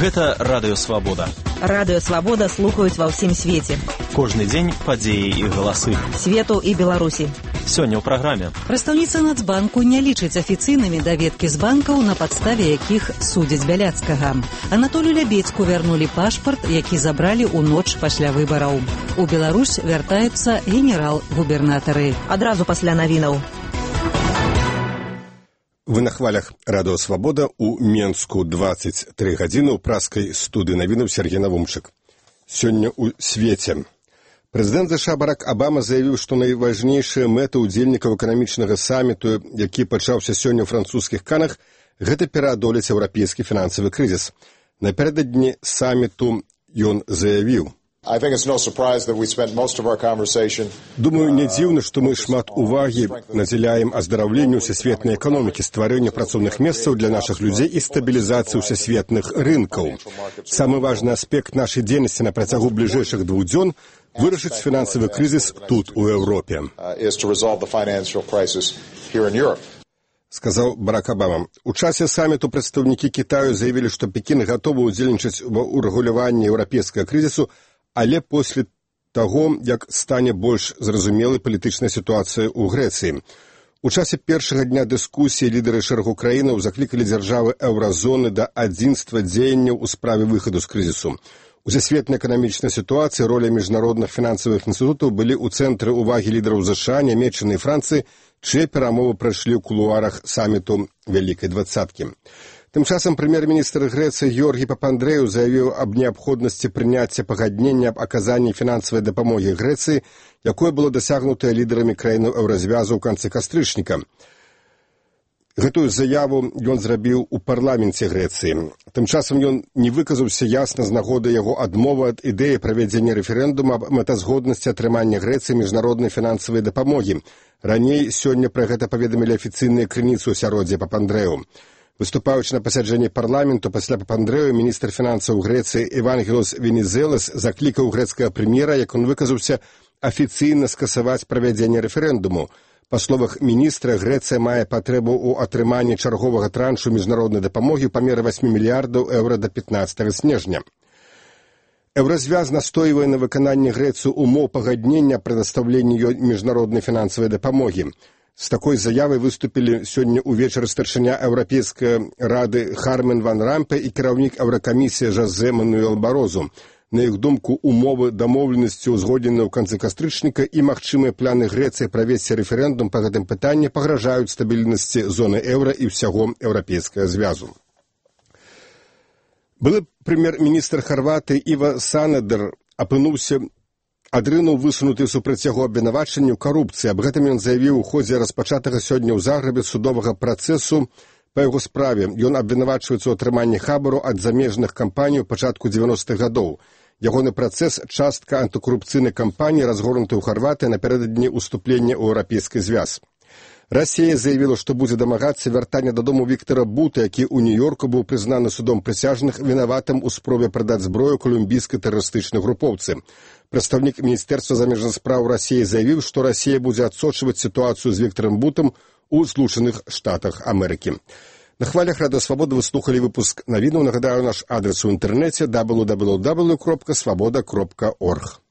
Гэта Радыё Свабода. Радыё Свабода слухаюць ва ўсім свеце. Кожны дзень падзеі і галасы. Свету і Беларусі. Сёння ў праграме. Прадстаўніца Нацбанку не лічыць афіцыйнымі даведкі з банкаў, на падставе якіх судзяць Бяляцкага. Анатолію Лябедзьку вярнулі пашпарт, які забралі ў ноч пасля выбараў. У Беларусь вяртаюцца генерал-губернатары. Адразу пасля навінаў. Вы на хвалях Радыё Свабода у Менску 23 гадзіны ў праскай студыі навінаў Сергей Навумчык. Сёння ў свеце. Прэзідэнт США Барак Абама заявіў, што найважнейшая мэта ўдзельнікаў эканамічнага саміту, які пачаўся сёння ў французскіх Канах, гэта пераадолець еўрапейскі фінансавы крызіс. Напярэдадні саміту ён заявіў: Думаю, не дзіўна, што мы шмат увагі надзяляем аздараўленню ўсесветнай эканомікі, стварэнню працоўных месцаў для нашых людзей і стабілізацыі ўсесветных рынкаў. Самы важны аспект нашай дзейнасці на працягу бліжэйшых 2 дзён – вырашыць фінансавы крызіс тут, у Еўропе. Сказаў Барак Абама. У часе саміту прадстаўнікі Кітаю заявілі, што Пекін гатовы ўдзельнічаць у рэгуляванні еўрапейскага крызісу, але пасля таго, як стане больш зразумелай палітычная сітуацыя ў Грэцыі. У часе першага дня дыскусіі лідары шэрагу краінаў заклікалі дзяржавы еўразоны да адзінства дзеянняў у справе выхаду з крызісу. У сусветнай эканамічнай сітуацыі роля міжнародных фінансавых інстытутаў былі ў цэнтры ўвагі лідараў ЗША, Нямецчыны і Францыі, чые перамовы прайшлі ў кулуарах саміту Вялікай двадцаткі. Тым часам прэм'ер-міністр Грэцыі Георгій Папандрэў заявіў аб неабходнасці прыняцця пагаднення аб аказанні фінансавай дапамогі Грэцыі, якое было дасягнутае лідарамі краінаў еўразвязу ў канцы кастрычніка. Гэтую заяву ён зрабіў у парламенце Грэцыі. Тым часам ён не выказаўся ясна з нагоды яго адмовы ад ідэі правядзення рэферэндума аб мэтазгоднасці атрымання Грэцыі міжнароднай фінансавай дапамогі. Раней сёння пра гэта паведамілі афіцыйныя крыніцы ў асяроддзя Папандрэў. Выступаючы на пасяджэнні парламенту пасля Папандрэў, міністр фінансаў Грэцыі Евангелос Венізелас заклікаў грэцкага прэм'ера, як ён выказаўся, афіцыйна скасаваць правядзенне рэферэндуму. Па словах міністра, Грэцыя мае патрэбу ў атрыманні чарговага траншу міжнароднай дапамогі ў памеры 8 мільярдаў еўра да 15 снежня. Еўразвяз настойвае на выкананні Грэцыі умоў пагаднення прадастаўлення ёй міжнароднай фінансавай дапамогі. З такой заявай выступілі сёння ўвечары старшыня Еўрапейскай рады Хармен ван Рампе і кіраўнік Еўракамісіі Жозе Мануэл Барозу. На іх думку, умовы дамоўленасці ўзгодненыя ў канцы кастрычніка і магчымыя планы Грэцыі правесці рэферэндум па гэтым пытанні пагражаюць стабільнасці зоны еўра і ўсяго еўрапейскага звязу. Былы прэм'ер-міністр Харватыі Іва Санадер адрынуў высунуты супраць яго абвінавачанні ў карупцыі. Аб гэтым ён заявіў у ходзе распачатага сёння ў Загрэбе судовага працэсу па яго справе. Ён абвінавачваецца ў атрыманні хабару ад замежных кампаній у пачатку 90-х гадоў. Ягоны працэс – частка антыкарупцыйнай кампаніі, разгорнутай у Харватыі напярэдадні ўступлення ў еўрапейскі звяз. Расія заявіла, што будзе дамагацца вяртання дадому Віктара Бута, які ў Нью-Йорку быў прызнаны судом прысяжных вінаватым у спробе прадаць зброю колумбійскай тэрарыстычнай групоўцы. Прадстаўнік Міністэрства замежных спраў Расіі заявіў, што Расія будзе адсочваць сітуацыю з Віктарам Бутам у Злучаных Штатах Амерыкі. На хвалях Радыё Свабода вы слухалі выпуск навінаў. Нагадаю, наш адрес у інтэрнэце www.swaboda.org.